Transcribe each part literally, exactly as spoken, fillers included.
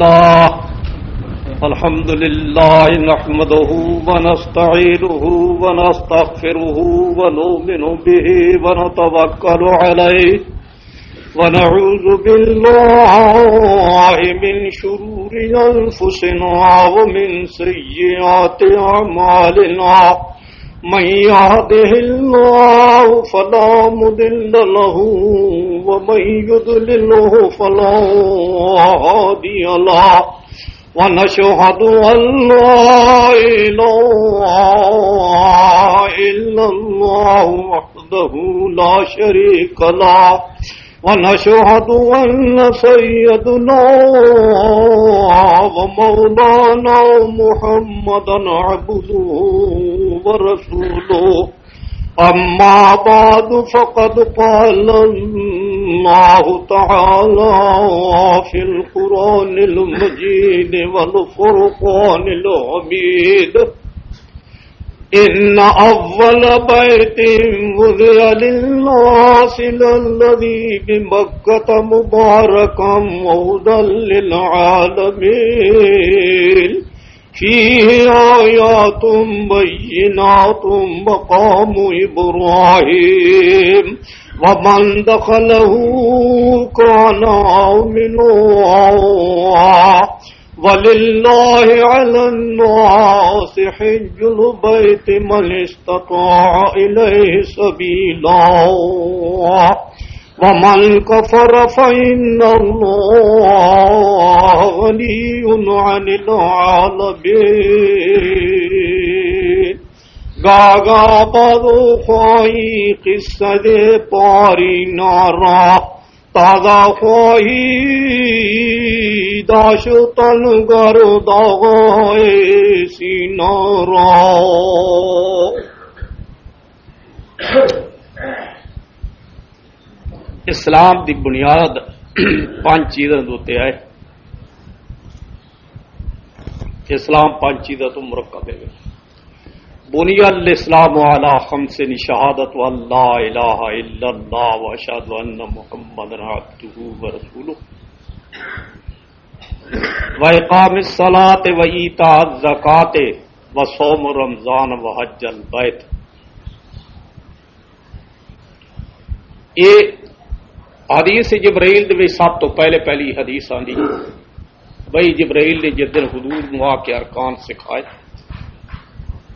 الله. الحمد لله نحمده ونستعينه ونستغفره ونؤمن به ونتوكل عليه ونعوذ بالله من شرور أنفسنا ومن سيئات أعمالنا. من يهده الله فلا مضل له ومن يضلله فلا هادي له. ونشهد أن لا إله إلا الله وحده لا شريك له. ونشهد أن سيدنا ومولانا محمدا عبده ورسوله. أما بعد، فقد قال الله تعالى في القرآن المجيد والفرقان الحميد: إن أول بيت وضع للناس للذي بمكة مباركا وهدى للعالمين، فيه آيات بينات مقام إبراهيم ومن دخله كان آمنا، ولله على الناس حج البيت من استطاع إليه سبيلا، ومن كفر فإن الله غني عن العالمين. گاگا بادو خواہی قصہ دے پاری نارا، تازہ خواہی داشتن گردا غائے سینارا۔ اسلام دی بنیاد پانچ چیزاں دے اُتے ہے۔ اسلام پانچ چیزاں تو مرکب ہے۔ بني الإسلام على خمس، شهادة أن لا إله إلا الله وأشهد أن محمدا عبده ورسوله، وإقام الصلاة وإيتاء الزكاة وصوم رمضان وحج البيت۔ یہ حدیث جبرائیل دے وچ سب تو پہلے پہلی حدیث آندی۔ بھائی جبرائیل نے جس دن حضور نوں آ کے ارکان سکھائے،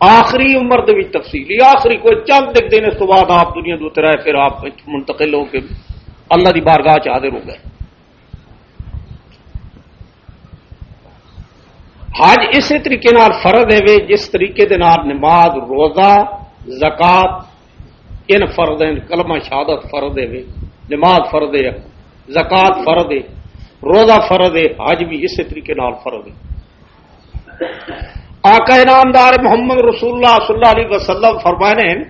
آخری عمر دے وچ تفصیلی، آخری کوئی چند ایک دن اس تو بعد آپ دنیا دے اتر آئے، پھر آپ منتقل ہو کے اللہ دی بارگاہ چ حاضر ہو گئے۔ حج اسی طریقے نال فرض ہے وے، جس طریقے دے نال نماز، روزہ، زکوٰۃ، ان فرض ہیں۔ کلمہ شہادت فرض ہے وے، نماز فرض ہے، زکوٰۃ فرض ہے، روزہ فرض ہے، حج بھی اسی طریقے نال فرض ہے۔ آقا انعامدار محمد رسول اللہ صلی اللہ علیہ وسلم فرمانے ہیں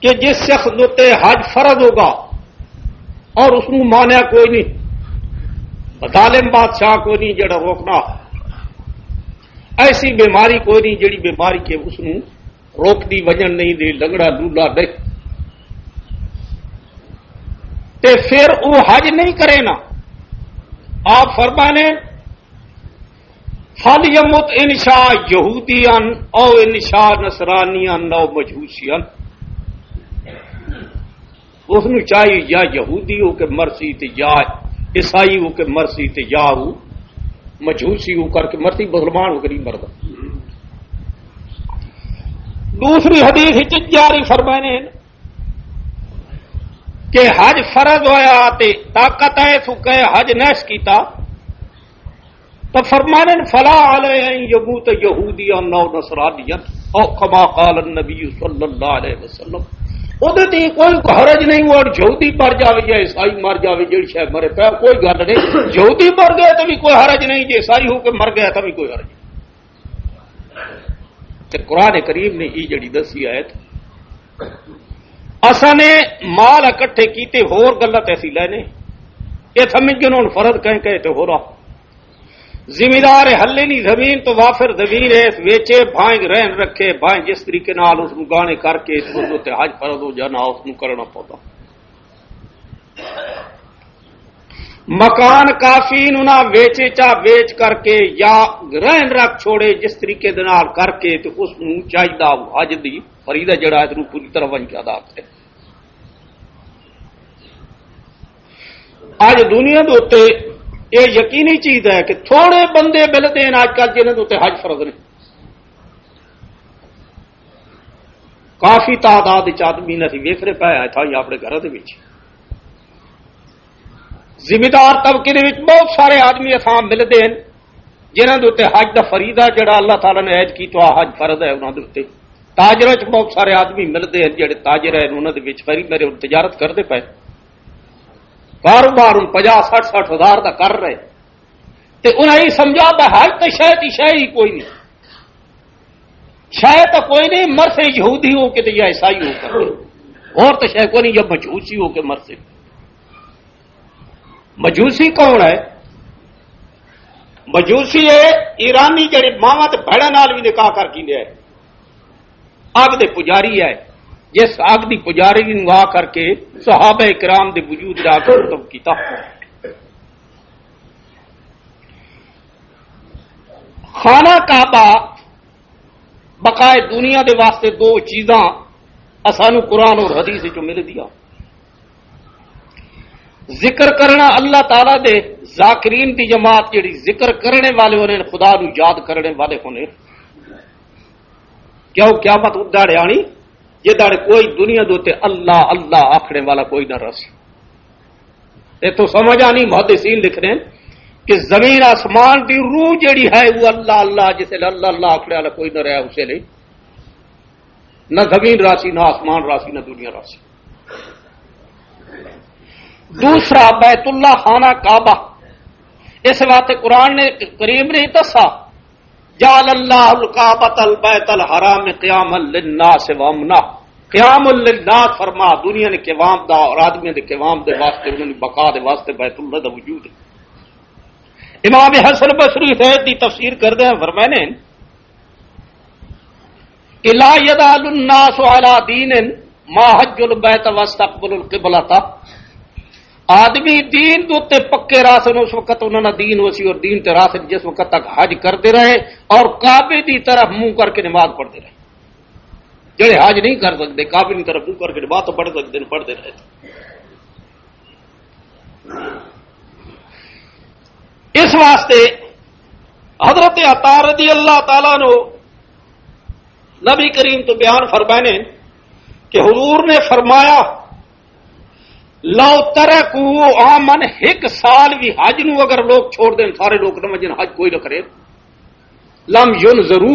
کہ جس شخص دے اُتے حج فرض ہوگا اور اس نوں مانیا کوئی نہیں، ظالم بادشاہ کوئی نہیں جڑا روکنا، ایسی بیماری کوئی نہیں جڑی بیماری کہ اس نوں روک دی وجن نہیں دے، لنگڑا لولا نہیں، تے پھر وہ حج نہیں کرے نا۔ آپ فرمانے، فَلْيَمُتْ إِنْ شَاءَ يَهُودِيًّا أَوْ إِنْ شَاءَ نَصْرَانِيًّا أَوْ مَجُوسِيًّا۔ اس نوں چاہیے یا یہودی ہو کے مرسی تے یا عیسائی ہو کے مرسی تے یا وہ مجوسی ہو کر کے مرسی، مسلمان ہو کے نہیں مردا۔ دوسری حدیث وچ جاری فرمانے ہیں کہ حج فرض ہویا تے طاقت ہے تو کہ حج نہ کیتا، تو فرمانے، فلا علیہ ان یموت یہودیا او نصرانیا، او کما قال النبی صلی اللہ علیہ وسلم۔ اودے تے کوئی حرج نہیں، وہ یہودی مر جاوے یا عیسائی مر جاوے، جڑی شے مرے پیا، کوئی گل نہیں۔ یہودی مر گئے تو بھی کوئی حرج نہیں، جے عیسائی ہو کے مر گیا تو بھی کوئی حرج نہیں۔ تے قرآن کریم نے یہ جڑی دسی آیت، اساں نے مال اکٹھے کیتے، ہور گلاں تے اسی لینے، یہ سمجھ گئے ہن فرض کہیں کہے تے ہو رہا۔ زمیندار ہلے نہیں زمین تو وافر زمین ہے، ویچے بھائیں رہن رکھے، بھائیں جس طریقے نال اس نوں گانے کر کے اس نوں تے حج فرض ہو جانا، اس نوں کرنا پوندا۔ مکان کافی نو نہ ویچے، چا ویچ کر کے یا رہن رکھ چھوڑے، جس طریقے دے نال کر کے تے اس نو چاہیدا حج دی فریضہ جڑا ہے، تے نو پوری طرح ونج کے ادا کرے۔ اج دنیا دے اوتے یہ یقینی چیز ہے کہ تھوڑے بندے ملتے ہیں اج کل جنہاں دے اوتے حج فرض نے۔ کافی تعداد وچ آدمی نے اسی ویکھ رہے پائے آئے تھا یا اپنے گھر دے وچ۔ ذمہ دار طبقے دے وچ بہت سارے آدمی اساں ملدے ہیں جنہاں دے اُتے حج دا فریضہ جڑا اللہ تعالیٰ نے عائد کیتا، حج فرض ہے انہاں دے اُتے۔ تاجراں وچ بہت سارے آدمی ملدے ہیں جڑے تاجر ہیں، انہاں دے وچ خریداری اور تجارت کردے پئے، کاروبار ہن پنجاہ سٹھ سٹھ ہزار دا کر رہے، تے انہاں یہ سمجھا کہ حج تے شاید ہی شاید ہی کوئی نہیں، شاید تو کوئی نہیں، مرسے یہودی ہو کے تے یا عیسائی ہو کر، اور تو شاید کوئی نہیں، یا مجوسی ہو کے مرسے۔ مجوسی کون ہے؟ مجوسی ہے ایرانی جڑے ماواں تے بھڑاں نال بھی نکاح کر گیندے ہے۔ اگ دے پجاری ہے، جس اگ دی پجاری نو آ کر کے صحابہ کرام دے وجود دا ختم کیتا۔ خانہ کعبہ بقائے دنیا دے واسطے دو چیزاں اسانو قرآن اور حدیث وچوں مل دیا۔ ذکر کرنا اللہ تعالیٰ دے، ذاکرین دی جماعت جڑی ذکر کرنے والے ہونے، خدا نو یاد کرنے والے ہونے، کیوں قیامت ادا آنی جے داڑے کوئی دنیا دے تے اللہ اللہ آکھنے والا کوئی نہ رس۔ اتوں سمجھ آنی، محدثین لکھ رہے ہیں کہ زمین آسمان دی روح جڑی ہے وہ اللہ اللہ، جس ویلے اللہ اللہ آکھنے والا کوئی نہ رہا، اس ویلے نہ زمین راسی، نہ آسمان راسی، نہ دنیا راسی۔ دوسرا، بیت اللہ خانہ کعبہ، اس واسطے قرآن نے کریم نے دسا، جعل اللہ الکعبۃ البیت الحرام قیاما للناس وامنا۔ قیام للناس فرما، دنیا نے قوام دا اور آدمیاں دے قوام دے واسطے، انہاں دی بقا دے واسطے بیت اللہ دا وجود ہے۔ امام حسن بصری فیض دی تفسیر کردے ہیں، فرمانے، الا یزال الناس علی دین ما حج البیت واستقبل القبلۃ۔ آدمی دین دے اُتے پکے راسن، اس وقت انہاں دا دین وسی اور دین تے راسن، جس وقت تک حج کردے رہے اور کعبے دی طرف منہ کر کے نماز پڑھتے رہے۔ جڑے حج نہیں کر سکتے، کعبے دی طرف منہ کر کے نماز تو پڑھ سکتے ہیں، پڑھتے رہے۔ اس واسطے حضرت عطا رضی اللہ تعالیٰ نو نبی کریم تو بیان فرمائے نے کہ حضور نے فرمایا، لو ترکو عامن، ایک سال بھی حج نو اگر لوگ چھوڑ دیں، سارے لوگ نہ وجن، حج کوئی نہ کرے، لم ینظرو،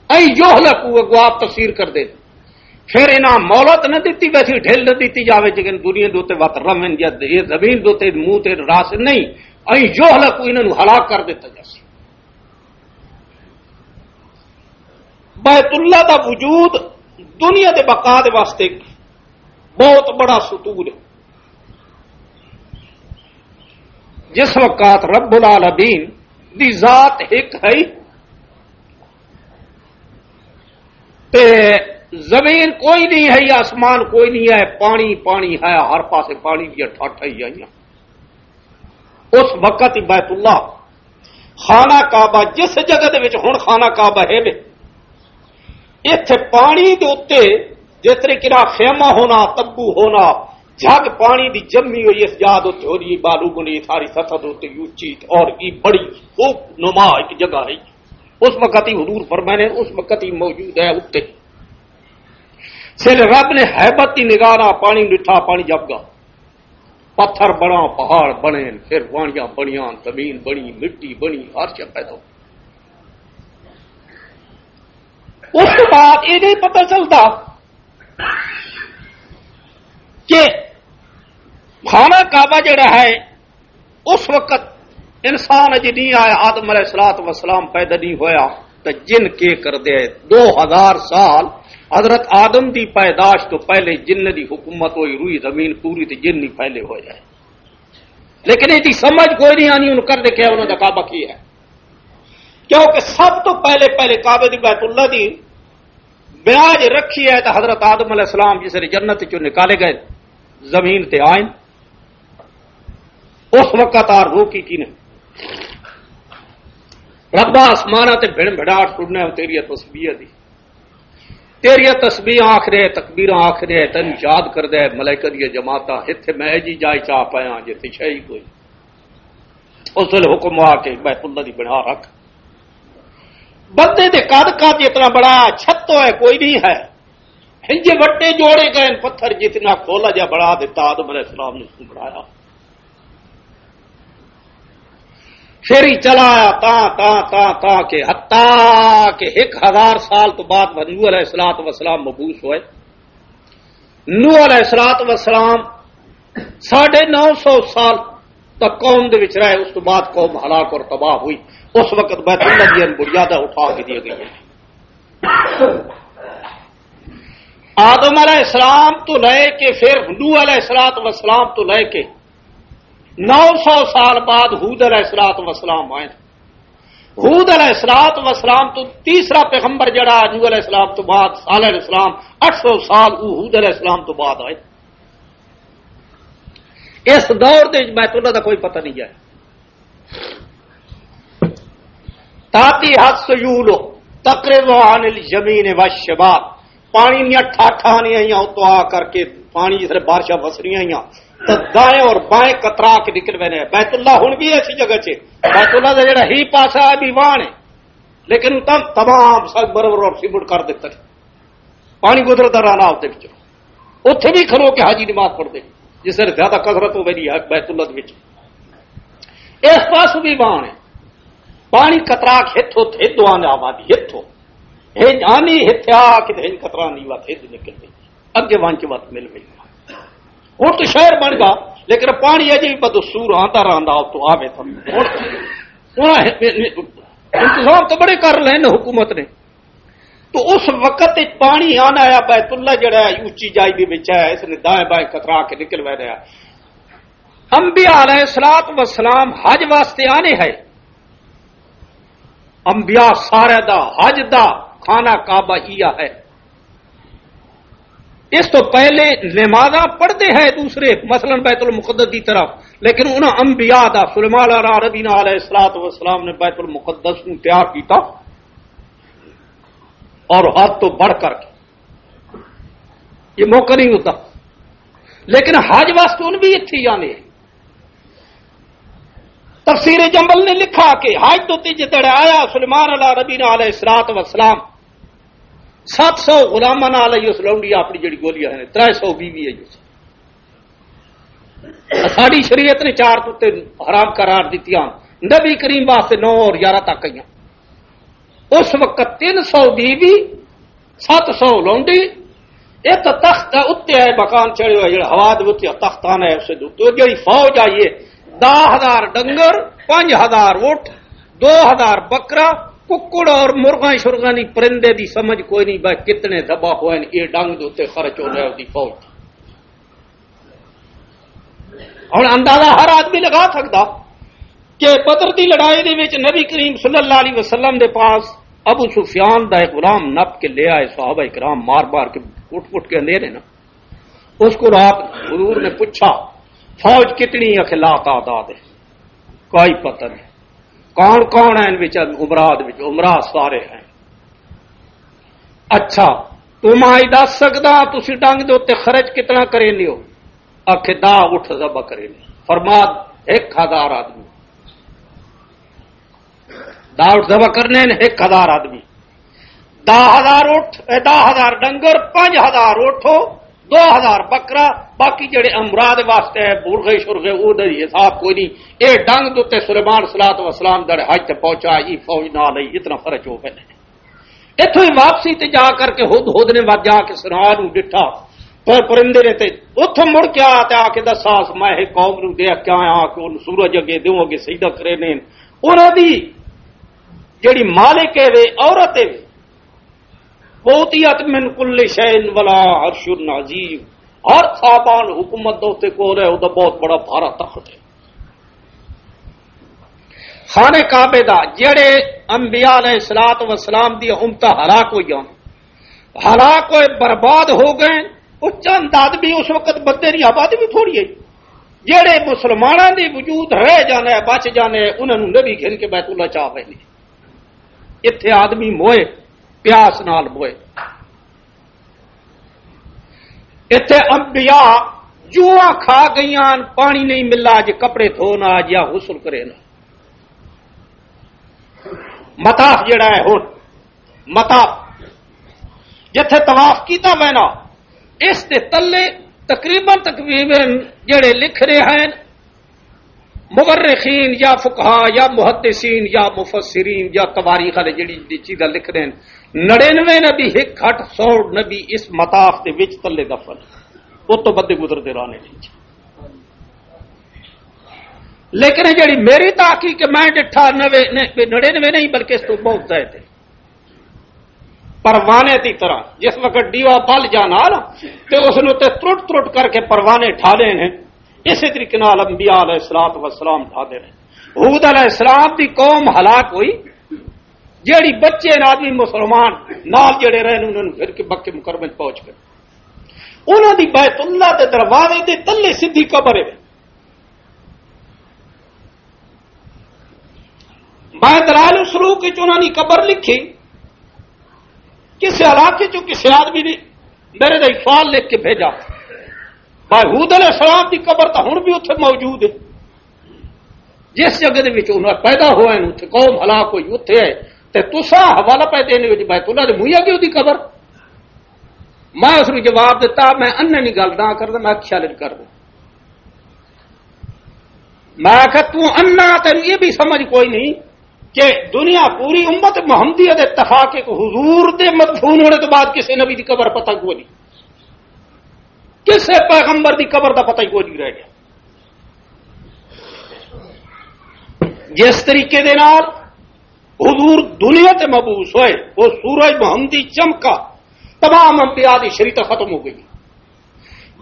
اے یہلکو، اگو آپ تفسیر کر دے، پھر انہاں مہلت نہ دتی ویسی، ڈھل نہ دتی جاوے، جگن دنیا دوتے وقت رمن یا یہ زمین دوتے منہ تے راس نہیں، اے یہلکو، انہاں نو ہلاک کر دیتا جاسی۔ بیت اللہ دا وجود دنیا دے بقا دے واسطے بہت بڑا ستون ہے۔ جس وقت رب العالمین دی ذات ایک ہے، تے زمین کوئی نہیں ہے، آسمان کوئی نہیں ہے، پانی پانی ہے، ہر پاسے پانی دیا ٹھاٹھا ہی آئیاں۔ اس وقت ہی بیت اللہ، خانہ کعبہ، جس جگہ دے وچ ہن خانہ کعبہ ہے وے، ایتھے پانی دے اُتے جس طرح کنا خیمہ ہونا، تبو ہونا، جھگ پانی دی جمی ہوئی اس جا دے اُتے ہو رہی، بالو بنی ساری سطح دے اُتے اچی اور یہ بڑی خوب نما ایک جگہ ہے۔ اس وقت ہی حضور فرمانے، اس وقت ہی موجود ہے اُتے۔ سر رب نے ہیبت دی نگاہ نال پانی ڈٹھا، پانی جب گا۔ پتھر بنا، پہاڑ بنے، پھر وانیاں بنیاں، زمین بنی، مٹی بنی، ہر شے پیدا ہو۔ اس کے بعد یہ نہیں پتہ چلتا کہ خانہ کعبہ جڑا ہے، اس وقت انسان اجے نہیں آیا، آدم علیہ الصلوۃ والسلام پیدا نہیں ہویا، تو جن کے کر دے؟ دو ہزار سال حضرت آدم دی پیدائش تو پہلے جن دی حکومت ہوئی، روئی زمین پوری تے جن نہیں پھیلے ہوئے ہیں۔ لیکن یہ دی سمجھ کوئی نہیں آنی، انہوں کر دے کیا، انہوں دا کعبہ کی ہے؟ کیونکہ سب تو پہلے، پہلے کعبے دی، بیت اللہ دی معراج رکھی ہے تو حضرت آدم علیہ السلام جس نے جنت چوں نکالے گئے، زمین تے آئے، اس وقت آ روکی کی نے، ربا آسمانہ تے بھڑ بھڑاٹ سننا ہے تیری تسبیح دی۔ تیری تسبیح آخر ہے، تکبیراں آخر ہے، تینوں یاد کردے ہے ملائکہ دی جماعتاں۔ اتھے میں جی جائے چاہ پایا جے تے شے ہی کوئی۔ اس ویلے حکم آ کے بیت اللہ دی بنا رکھ۔ بندے دے قد قد جتنا بڑا چھتو ہے، کوئی نہیں ہے۔ ہنجے وٹے جوڑے گئے، پتھر جتنا کھولا جا بڑا دیتا، آدم علیہ السلام نے اس کو بڑھایا۔ پھر ہی چلا آیا تا تا تا تا کہ حتیٰ کہ ایک ہزار سال تو بعد نوح علیہ الصلوۃ والسلام مبعوث ہوئے۔ نوح علیہ الصلوۃ والسلام ساڑھے نو سو سال تک قوم دے وچ رہے، اس تو بعد قوم ہلاک اور تباہ ہوئی۔ اس وقت بیت اللہ دی بنیادیں اٹھا کے دی گئی ہیں۔ آدم علیہ السلام تو لے کے پھر نوح علیہ الصلوۃ والسلام تو لے کے نو سو سال بعد ہود علیہ الصلوۃ والسلام آئے۔ ہود علیہ الصلوۃ والسلام تو تیسرا پیغمبر جڑا نوح علیہ السلام تو بعد صالح علیہ السلام، اٹھ سو سال وہ ہود علیہ السلام تو بعد آئے۔ اس دور دے وچ بیت اللہ دا کوئی پتہ نہیں ہے۔ تاتی حد سیول تقرض عن الیمین والشمال، پانی دیاں ٹھاٹھاں نہیں آئیاں، اتوں آ کر کے پانی جس طرح بارشاں وسریاں آئیاں، تو دائیں اور بائیں کترا کے نکل پے نے۔ بیت اللہ ہن بھی ایسی جگہ چ، بیت اللہ دا جڑا ہی پاسا ہے بھی وان ہے، لیکن اتنا تمام سنگ مرمر اور سیمنٹ کر دیتا۔ پانی گزردا رہنا اس دے وچوں۔ اتھے بھی کھلو کے حاجی نماز پڑھدے، جس طرح زیادہ کثرت ہوے دی ہے بیت اللہ دے وچ۔ اس پاس بھی بان ہے، پانی قطرہ ہتھو تھے دعا نے آبادی ہتھو۔ ہن آنی ہتھیا کہ ہن قطرہ نہیں وا تھے نکل گئی۔ اگے وان کے وقت مل گئی۔ ہن تو شہر بن گا، لیکن پانی اجے بھی بدستور آندا رہندا، تو آوے تو ہن، ہن انتظام تو بڑے کر لے نے حکومت نے۔ تو اس وقت وچ پانی آنا آیا، بیت اللہ جڑا ہے، اچی جائی دے وچ ہے، اس نے دائیں بائیں کترا کے نکل وے رہا۔ انبیاء علیہ الصلوۃ والسلام حج واسطے آنے ہیں۔ انبیاء سارے دا حج دا خانہ کعبہ ہی ہے۔ اس تو پہلے نمازاں پڑھتے ہیں دوسرے، مثلاً بیت المقدس دی طرف، لیکن انہاں انبیاء دا، سلیمان علیہ نبینا علیہ الصلوۃ والسلام نے بیت المقدس نو تیار کیتا۔ اور حد تو بڑھ کر کے یہ موقع نہیں ہوتا۔ لیکن حج واسطے ان بھی اتھی جانے ہیں۔ تفسیر جمبل نے لکھا کہ حج تو تیج تڑے آیا سلیمان علیہ نبینا علیہ الصلوۃ والسلام، سات سو غلاماں نال ہی اس لونڈی اپنی جڑی گولی ہے، ترے سو بیوی ہے اس۔ ساڈی شریعت نے چار کتے حرام قرار دتیاں، نبی کریم واسطے نو اور یارہ تک آئیاں۔ اس وقت تین سو بیوی، ست سو لونڈی، ایک تخت ہے، اتنے ہے مکان چڑھے ہوئے، جڑا ہوا دے اتنے تخت آنا ہے، اسے دے اتنے۔ جڑی فوج آئی ہے، دہ ہزار ڈنگر، پنج ہزار اٹھ، دو ہزار بکرا، ککڑ اور مرغاں شرغاں دی پرندے دی سمجھ کوئی نہیں، بھائی کتنے ذبح ہوئے نے، یہ ڈنگ دے اتنے خرچ ہو رہا ہے دی فوج۔ ہن اندازہ ہر آدمی لگا سکدا کہ بدر دی لڑائی دے وچ نبی کریم صلی اللہ علیہ وسلم دے پاس ابو سفیان دا ایک غلام نپ کے لے آئے، صحابہ کرام مار مار کے، کٹ کٹ کے اندھیرے نا۔ اس کو رات حضور نے پوچھا، "فوج کتنی ہے؟" کہ لا تعداد ہے، کوئی پتہ نہیں۔ کون کون ہیں ان وچ؟ عمرہ دے وچ، عمرہ سارے ہیں۔ اچھا، تو میں دس سکدا تسی ڈنگ دے اوتے خرچ کتنا کریندے ہو؟ آکھے، "دا اٹھ ذبح کریندے۔" فرما، "ایک ہزار آدمی دا اٹھ ذبح کرنے نے، ایک ہزار آدمی، دہ ہزار اٹھ، اے، دہ ہزار ڈنگر، پنج ہزار اٹھ، دو ہزار بکرا، باقی جڑے امراض واسطے ہے، برغے شرغے، او دا حساب کوئی نہیں۔" اے ڈنگ دے اوتے سلیمان صلوۃ و سلام دڑ حج تے پہنچا، ای فوج نال ہی اتنا خرچ ہو گئے۔ اتھوں ہی واپسی تے جا کر کے ہد ہد نے ود جا کے سرا نو ڈٹھا، پر پرندے نے تے اتھوں مڑ کے آ تے آ کے دسا، "میں ایک قوم نو دیکھ کے آیا کہ ان سورج اگے دیوں اگے سجدہ کرے نے۔" انہاں دی جڑی مالک ہے وے، عورت ہے وے، وہ اوتیت من کل شیء ولا عرش عظیم، ہر سامان حکومت دے اوتے کول ہے، او دا بہت بڑا بھارا تخت ہے۔ خانہ کعبے دا، جڑے انبیاء علیہ الصلوۃ والسلام دی امت ہلاک ہوئی ہن، ہلاک ہوئے، برباد ہو گئے۔ اس چند آدمی، اس وقت بندے دی آبادی بھی تھوڑی ہے۔ جہڑے مسلمانوں دے وجود رہ جانا ہے، بچ جانا ہے، انہاں نوں نبی گھن کے بیت اللہ چاہ پے نے۔ اتھے آدمی موئے، پیاس نال موئے۔ اتھے انبیاء جوا کھا گئیاں، پانی نہیں ملا، جے کپڑے دھو نہ، جے غسل کرے نہ۔ مطاف جڑا ہے ہن، مطاف جتھے طواف کیتا وینا، اس دے تلے تقریباً، تقریباً جڑے لکھ رہے ہیں مورخین یا فقہا یا محدثین یا مفسرین یا تواریخ والے جڑی چیزاں لکھ رہے ہیں، نڑینوے نبی، ایک گھٹ سو نبی اس مطاف دے وچ تلے دفن، وہ تو بدے گزرتے رہنے۔ لیکن یہ جڑی میری تحقیق کہ میں ڈٹھا نوے، نہیں، نڑینوے نہیں، بلکہ اس تو بہت زائد ہے۔ پروانے دی طرح جس وقت ڈیوا بل جانا نا، تے اس نوں تے ترٹ ترٹ کر کے پروانے ٹھا لے نے، اسی طریقے نال انبیاء علیہ الصلوۃ والسلام ٹھا دے نے۔ ہود علیہ السلام دی قوم ہلاک ہوئی، جیڑی بچے نے آدمی مسلمان نال جڑے رہے نے، انہاں نوں پھر کے مکے مکرمے پہنچ گئے۔ انہاں دی بیت اللہ دے دروازے دے تلے سدھی قبر ہے۔ میں دلائل السلوک وچ انہاں دی قبر لکھی، کسے علاقے چوں کسے آدمی نے میرے دا فال لکھ کے بھیجا۔ بھائی ہود علیہ السلام دی قبر تاں ہن بھی اتھے موجود ہے، جس جگہ دے وچ انہاں پیدا ہوئے نے، اتھے قوم ہلاک ہوئی اتھے ہے، تے تساں حوالہ پہ دینے وچ بیت اللہ دے مویا کی دی قبر۔ میں اس نوں جواب دیتا، میں انہاں نی گل نہ کردا، میں خیال کر دوں۔ میں آکھیا، "توں انا، تینوں یہ بھی سمجھ کوئی نہیں کہ دنیا پوری امت محمدیہ دے اتفاق ایک حضور دے مدفون ہونے تو بعد کسی نبی دی قبر پتہ کوئی نہیں، کسی پیغمبر دی قبر دا پتہ ہی کوئی نہیں رہ گیا۔" جس طریقے دے نال حضور دنیا تے مبعوث ہوئے، وہ سورج محمدی چمکا، تمام انبیاء دی شریعت ختم ہو گئی۔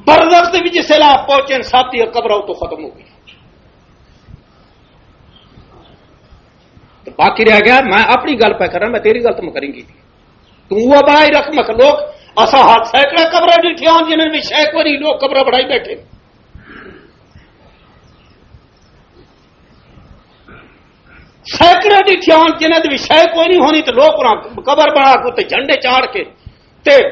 برزخ دے وچ جس ویلے آپ پہنچے، سب دی قبر تو ختم ہو گئی۔ تو باقی رہ گیا، میں اپنی گل پہ کرنا، میں تیری گل تو میں کریں گی۔ تو وہ بڑائی رقم لوگ، اسا ہاتھ سینکڑے قبر ڈٹھیاں جنہاں نے شے کوئی نہیں، لوگ قبر بڑائی بیٹھے۔ سینکڑے ڈٹھیاں جنہاں دے شے کوئی نہیں ہونی، تو لوگ انہاں قبر بنا کے تے جھنڈے چاڑھ کے تے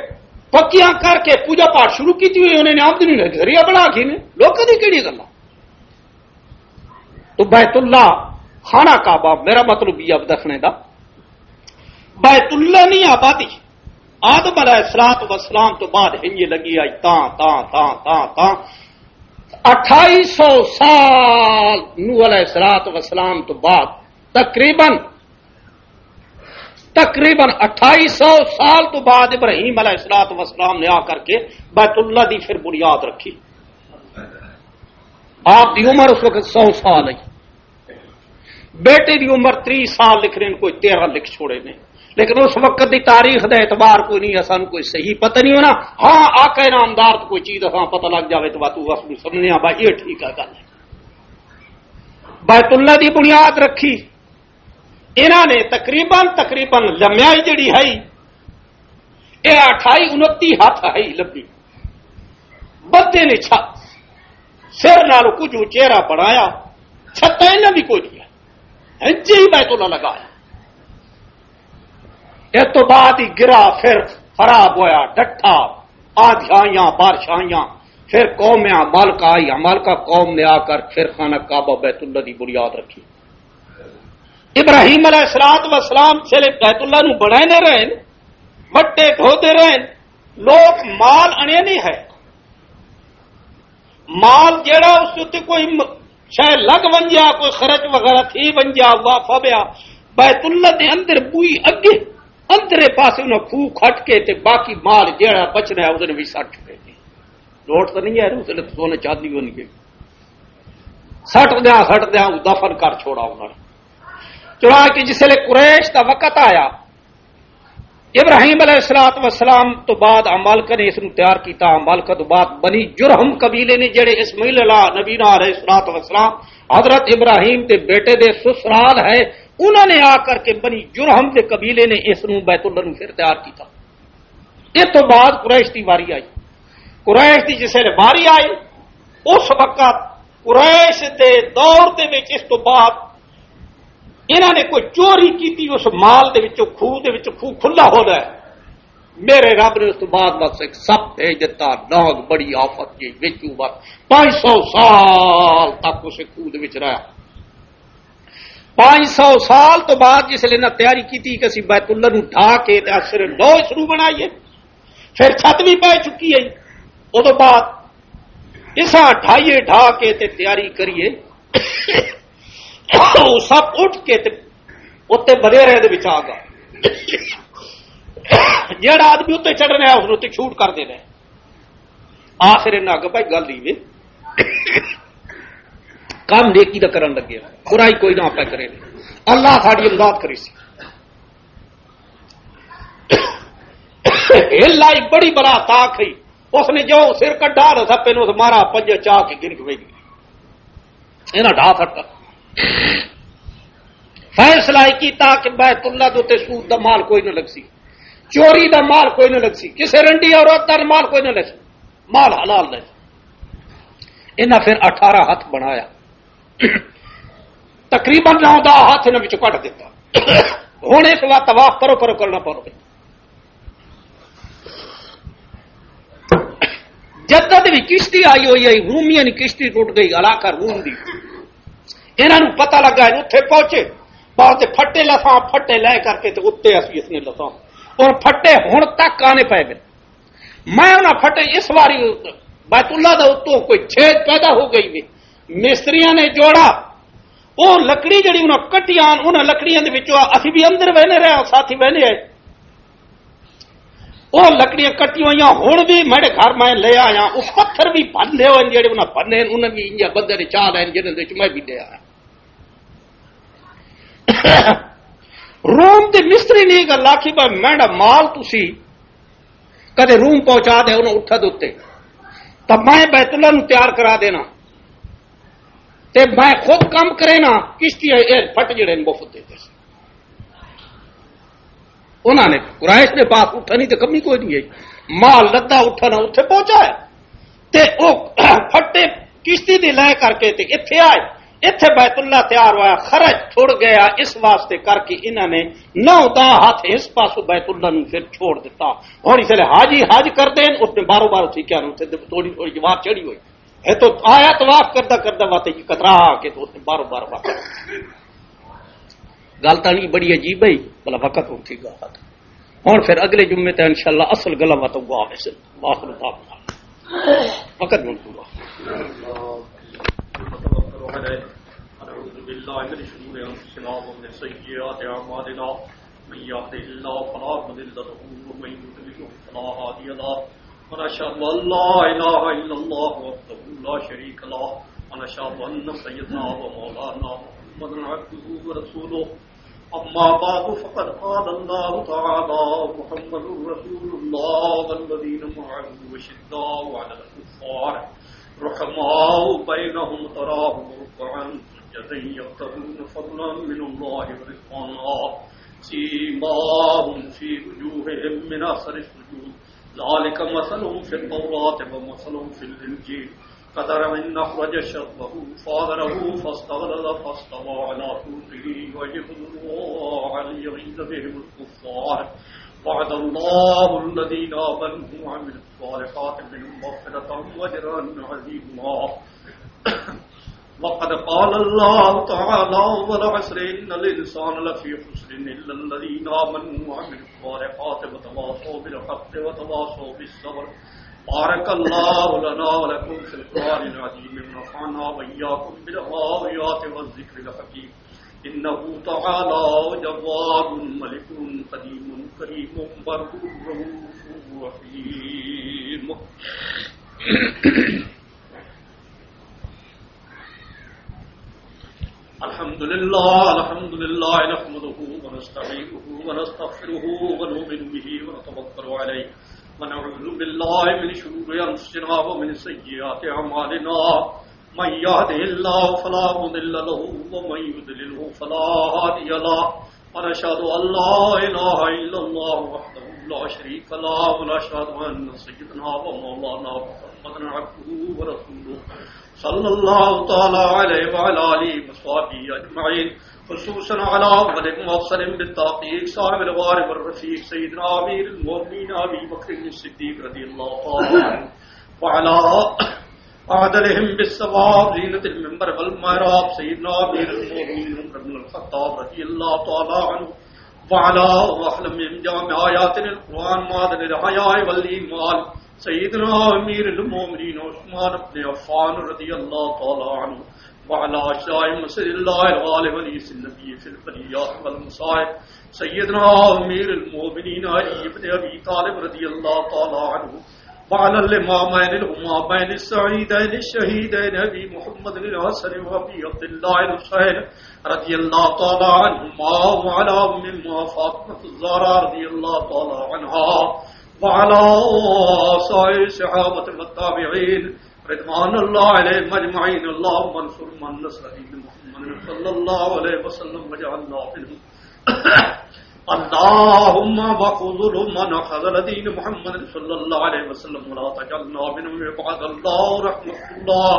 پکیاں کر کے پوجا پاٹ شروع کیتی ہوئی، انہاں نے آمدنی نے ذریعہ بنا کے نے۔ لوگ کدی کیڑی گلاں؟ تو بیت اللہ، خانہ کعبہ، میرا مطلب یہ اب دکھنے دا، بیت اللہ نہیں آبادی۔ آدم علیہ الصلوۃ والسلام تو بعد ہنجے لگی آئی تاں، تاں، تاں، تاں، تاں۔ اٹھائی سو سال نوح علیہ الصلوۃ والسلام تو بعد تقریباً، تقریباً اٹھائی سو سال تو بعد ابراہیم علیہ الصلوۃ والسلام نے آ کر کے بیت اللہ دی پھر بنیاد رکھی۔ آپ دی عمر اس وقت سو سال ہے۔ بیٹے دی عمر تری سال لکھ رہے ہیں، کوئی تیرہ لکھ چھوڑے نے۔ لیکن اس وقت دی تاریخ دا اعتبار کوئی نہیں، اساں کوئی صحیح پتہ نہیں ہونا۔ ہاں، آقا انعامدار تو کوئی چیز اساں پتہ لگ جاوے تو بات اس نوں سمجھنے آ، بھائی، یہ ٹھیک ہے گل۔ بیت اللہ دی بنیاد رکھی انہاں نے، تقریباً، تقریباً لمیائی جڑی ہے، یہ اٹھائی انتی ہاتھ ہے لمبی۔ بدے نے چھت، سر نال کچھ اچیرا بنایا، چھت انہاں دی کوئی نہیں ہے، انجے ہی بیت اللہ لگایا۔ اس تو بعد ہی گرا، پھر خراب ہویا، ڈٹھا، آندھیاں آئیاں، بارش آئیاں، پھر قوم عمالقہ آئی، عمالقہ قوم نے آ کر پھر خانہ کعبہ بیت اللہ دی بنیاد رکھی۔ ابراہیم علیہ الصلوۃ والسلام صرف بیت اللہ نو بنائے نہ رہن، مٹے ڈھوتے رہن، لوگ مال انے نہیں ہے۔ مال جیڑا اس اُتے کوئی م-، شے لگ ونجیا، کوئی خرچ وغیرہ تھی ونجیا، ہوا پھبیا، بیت اللہ دے اندر بوئی اگے، اندرے پاسے انہاں کھوہ کھٹ کے تے باقی مال جیڑا بچنا ہے، اس نے بھی سٹ چکے تھے۔ لوٹ تو نہیں ہے، اس نے تو سونے چاندی ہونی ہے۔ سٹ دیا، سٹ دیا، وہ دفن کر چھوڑا انہوں نے۔ چڑھا کے جس لے قریش دا وقت آیا، ابراہیم علیہ الصلوۃ والسلام تو بعد عمالقہ نے اس نو تیار کیتا۔ عمالقہ تو بعد بنی جرہم قبیلے نے، جڑے اسماعیل علیہ نبینا علیہ الصلوۃ والسلام حضرت ابراہیم دے بیٹے دے سسرال ہے، انہاں نے آ کر کے بنی جرہم دے قبیلے نے اس نو بیت اللہ نو پھر تیار کیتا۔ اس تو بعد قریش دی واری آئی۔ قریش دی جس ویلے واری آئی، اس وقت قریش دے دور دے وچ اس تو بعد انہاں نے کوئی چوری کیتی، اس مال دے وچوں، کھوہ دے وچوں، کھوہ کھلا ہو رہا ہے۔ میرے رب نے اس تو بعد بس ایک سپ بھیج دتا، ناگ، بڑی آفت جی وچوں، بس پانچ سو سال تک اسے کھوہ دے وچ رہا۔ پانچ سو سال تو بعد جس لے نہ تیاری کیتی کہ اسی بیت اللہ نو ڈھا کے تے اثر نو اس نو بنائیے، پھر چھت بھی پے چکی ہے۔ ادو بعد اساں ڈھائیے، ڈھا کے تے تیاری کریے۔ وہ سب اٹھ کے تے اتنے بدیرے دے وچ آ گیا۔ جیڑا آدمی اتنے چڑھنا ہے، اس نے اتنے چھوٹ کر دینا ہے۔ آخر انہاں آگے بھائی گل ہی وے، کام نیکی دا کرن لگے، برائی کوئی نہ پہ کرے۔ اللہ ساڈی امداد کری سی۔ ہل آئی، بڑی بلا تاک ہئی۔ اس نے جو سر کڈا نہ سپے نو، اس مارا پنجے چا کے گر کے وی گئی۔ انہاں ڈھا سٹا۔ فیصلہ ہی کیتا کہ بیت اللہ دے تے سود دا مال کوئی نہ لگ سی، چوری دا مال کوئی نہ لگ سی، کسے رنڈی عورت دا مال کوئی نہ لگ سی، مال حلال لے سی۔ انہاں پھر اٹھارہ ہاتھ بنایا، تقریباً نو دا ہاتھ انہاں وچوں کٹ دیتا۔ ہن اس وقت طواف کرو، کرو، کرنا پڑو۔ جدت بھی کشتی آئی ہوئی ہے، رومیاں کی کشتی ٹوٹ گئی، علاقہ روم دی۔ انہاں نوں پتہ لگا، اتھے پہنچے، پہنچے پھٹے لساں، پھٹے لے کر کے تے اتھے اسی اس نے لساں۔ اور پھٹے ہن تک آنے پے گئے۔ میں انہاں پھٹے اس واری بیت اللہ دا اتوں کوئی چھید پیدا ہو گئی وے۔ مستریاں نے جوڑا، او لکڑی جڑی انہاں کٹیاں، انہاں لکڑیاں دے وچوں اسی بھی اندر وینے رہے، ساتھی وینے آئے۔ او لکڑیاں کٹی ہوئیاں ہن بھی میرے گھر میں لے آیا۔ او پتھر بھی بھنے ہوئے جڑے انہاں بھنے، انہاں بھی انجا بدر چا لین جنہاں دے وچ میں بھی لے آیا۔ روم دے مستری نے یہ گل آکھی، بھائی میرا مال تسی کدے روم پہنچا دے انہاں اٹھا دے اتے، تاں میں بیت اللہ نوں تیار کرا دینا، تے میں خود کم کرے نا، کشتی اے پھٹ جڑے نے مفت دے دے۔ انہاں نے قریش دے پاس اٹھا نہیں تے کمی کوئی نہیں ہے۔ مال لدا اٹھا نہ اتھے پہنچا ہے۔ تے او پھٹے کشتی دے لے کر کے تے اتھے آئے۔ اتھے بیت اللہ تیار ہویا، خرچ چھوڑ گیا، اس واسطے کر کے انہاں نے نو دا ہاتھ اس پاسوں بیت اللہ نوں پھر چھوڑ دیتا۔ ہن اس لے حاجی حج کردے نے، اس نے بارو بارو تھی کیا نو تے تھوڑی تھوڑی جواب چڑھی ہوئی۔ ہے تو آیا طواف کردا کردا واتے جی کترا آ کے تو اس نے بارو بارو واتے۔ گل تاں نہیں بڑی عجیب ہے، بلا وقت ہن تھی گا۔ ہن پھر اگلے جمعے تے انشاءاللہ اصل گلاں واتوں گوا ویسے۔ واخر دعوانا۔ وقت ہن پورا۔ ونعوذ بالله من شرور أنفسنا ومن سيئات أعمالنا. من يهده الله فلا مضل له ومن يضلله فلا هادي له. ونشهد أن لا إله إلا الله وحده لا شريك له. ونشهد أن سيدنا ومولانا محمدا عبده ورسوله. أما بعد، فقد قال الله تعالى: محمد رسول الله والذين معه أشداء على الكفار رحماء بينهم، تراهم ركعا سجدا يبتغون فضلا من الله ورضوانا، سيماهم في وجوههم من أثر السجود، ذلك مثلهم في التوراة ومثلهم في الإنجيل، كزرع أخرج شطأه فآزره فاستغلظ فاستوى على سوقه يعجب الزراع ليغيظ بهم الكفار. وعد الله الذين آمنوا وعملوا الصالحات منهم مغفرة وأجرا عظيما. وقد قال الله تعالى: والعصر إن الإنسان لفي خسر إلا الذين آمنوا وعملوا الصالحات وتواصوا بالحق وتواصوا بالصبر. بارك الله لنا ولكم في القرآن العظيم ونفعنا وإياكم بالآيات والذكر الحكيم. إنه تعالى جواد ملك قديم كريم بر رؤوف رحيم. الحمد لله، الحمد لله نحمده ونستعينه ونستغفره ونؤمن به ونتوكل عليه ونعوذ بالله من شرور أنفسنا ومن سيئات أعمالنا. من يهده الله فلا مضل له ومن يضلله فلا هادي له. ونشهد أن لا إله إلا الله وحده لا شريك له ونشهد أن سيدنا ومولانا محمد محمد عبده ورسوله، صلى الله تعالى عليه وعلى آله وصحبه أجمعين، خصوصا على أولهم وأفضلهم بالتحقيق صاحب الغار والرفيق سيدنا أمير المؤمنين أبي بكر الصديق رضي الله تعالى عنه، وعلى أعدلهم بالثواب زينة المنبر والمحراب سيدنا أمير المؤمنين عمر بن الخطاب رضي الله تعالى عنه، وعلى وسلم من جامع آيات القرآن معدن الحياء والإيمان سيدنا أمير المؤمنين عثمان بن عفان رضي الله تعالى عنه، وعلى أشياء مسجد الله الغالب وليس النبي في البريات والمصائب سيدنا أمير المؤمنين علي بن أبي طالب رضي الله تعالى عنه، وعلى الإمامين الهمامين السعيدين الشهيدين أبي محمد الحسن وأبي عبد الله الحسين رضي الله تعالى عنهما، وعلى أمهما فاطمة الزهراء رضي الله تعالى عنها، وعلى سائر الصحابة والتابعين رضوان الله عليهم أجمعين. اللهم انصر من نصر دين محمد صلى الله عليه وسلم واجعلنا منهم. اللهم وخذل من خذل دين محمد صلى الله عليه وسلم ولا تجعلنا منهم عباد الله رحمة الله.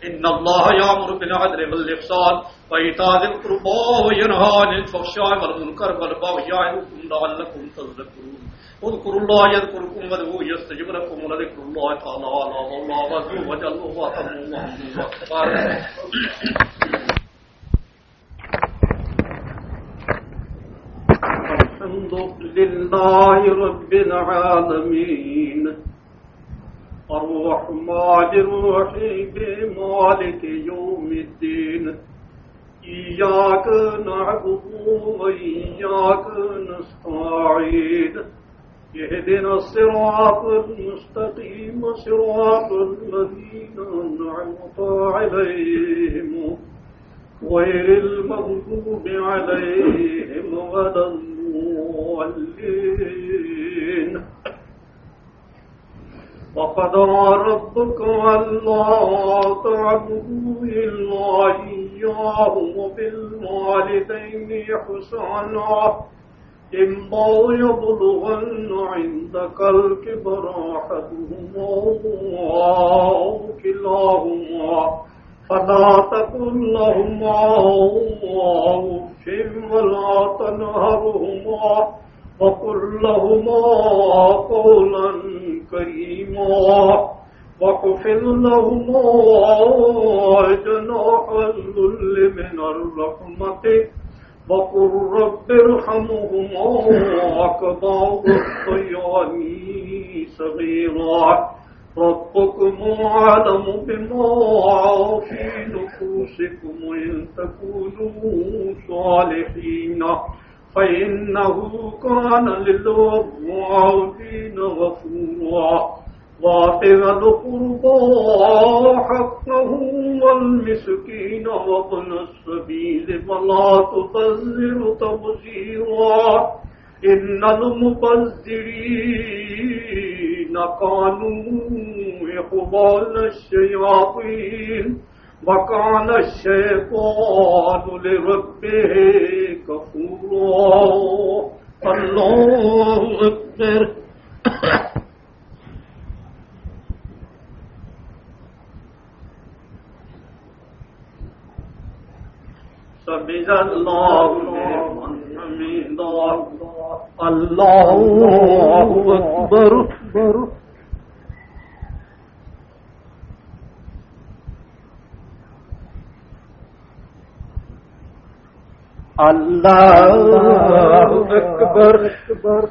إن الله يأمر بالعدل والإحسان وإيتاء ذي القربى وينهى عن الفحشاء والمنكر والبغي يعظكم لعلكم تذكرون. اذكروا الله يذكركم وادعوه يستجب لكم ولذكر الله تعالى أعلى وأعلى وأعلى وأعلى وأعلى وأعلى وأعلى. الحمد لله رب العالمين، الرحمن الرحيم، مالك يوم الدين، إياك نعبد وإياك نستعين، اهدنا الصراط المستقيم، صراط الذين أنعمت عليهم، غير المغضوب عليهم ولا الضالين. وقضى ربك ألا تعبدوا إلا إياه وبالوالدين إحسانا، إما يبلغن عندك الكبر أحدهما أو كلاهما فلا تقل لهما أف ولا تنهرهما وقل لهما قولا كريما واخفض لهما جناح الذل من الرحمة وقل رب ارحمهما كما ربياني صغيرا. ربكم أعلم بما في نفوسكم إن تكونوا صالحين فإنه كان للأوابين غفورا. وآت ذا القربى حقه والمسكين وابن السبيل ولا تبذر تبذيرا. إن المبذرين كانوا إخوان الشياطين وكان الشيطان لربه كفورا. الله أكبر. سمع الله لمن حمده. الله أكبر. الله أكبر.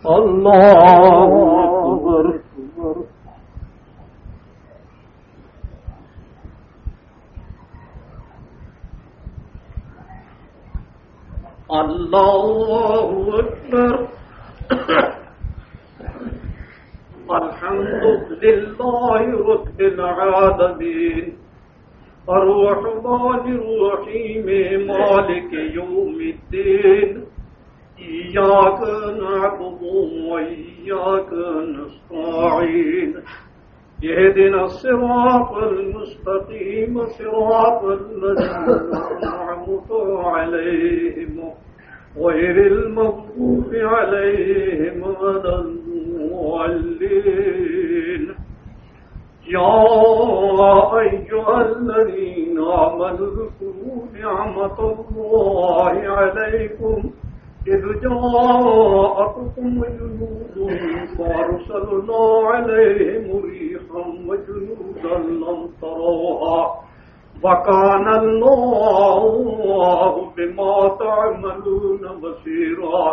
الله أكبر. الله أكبر. الحمد لله رب العالمين. الرحمن الرحيم. مالك يوم الدين. إياك نعبد وإياك نستعين. اهدنا الصراط المستقيم، صراط الذين أنعمت عليهم، غير المغضوب عليهم ولا الضالين. يا أيها الذين آمنوا اذكروا نعمة الله عليكم إذ جاءتكم جنود فأرسلنا عليهم ريحا وجنودا لم تروها وكان الله بما تعملون بصيرا.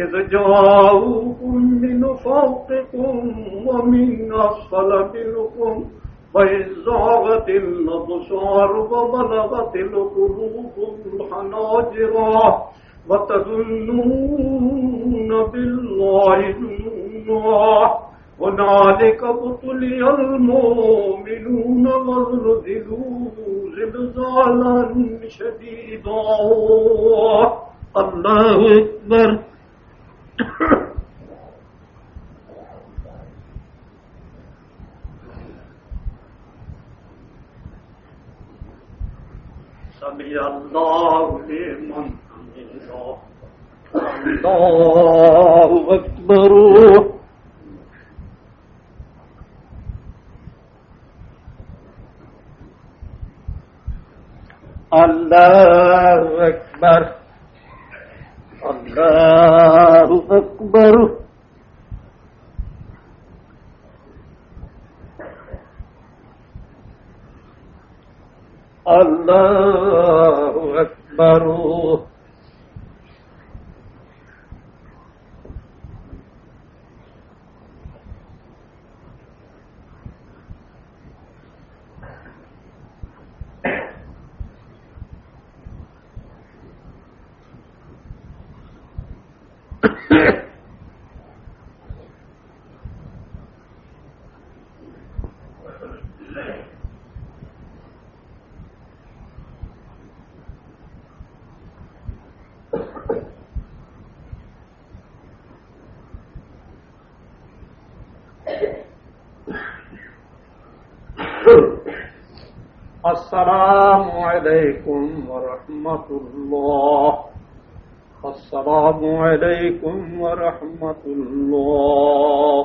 إذ جاءوكم من فوقكم ومن أسفل منكم وإذ زاغت الأبصار وبلغت القلوب الحناجر وتظنون بالله الظنونا هنالك ابتلي المؤمنون وزلزلوا زلزالا شديدا. الله أكبر. سمع الله لمن حمده. الله أكبر. الله أكبر. الله أكبر. الله أكبر. السلام عليكم ورحمة الله. السلام عليكم ورحمة الله.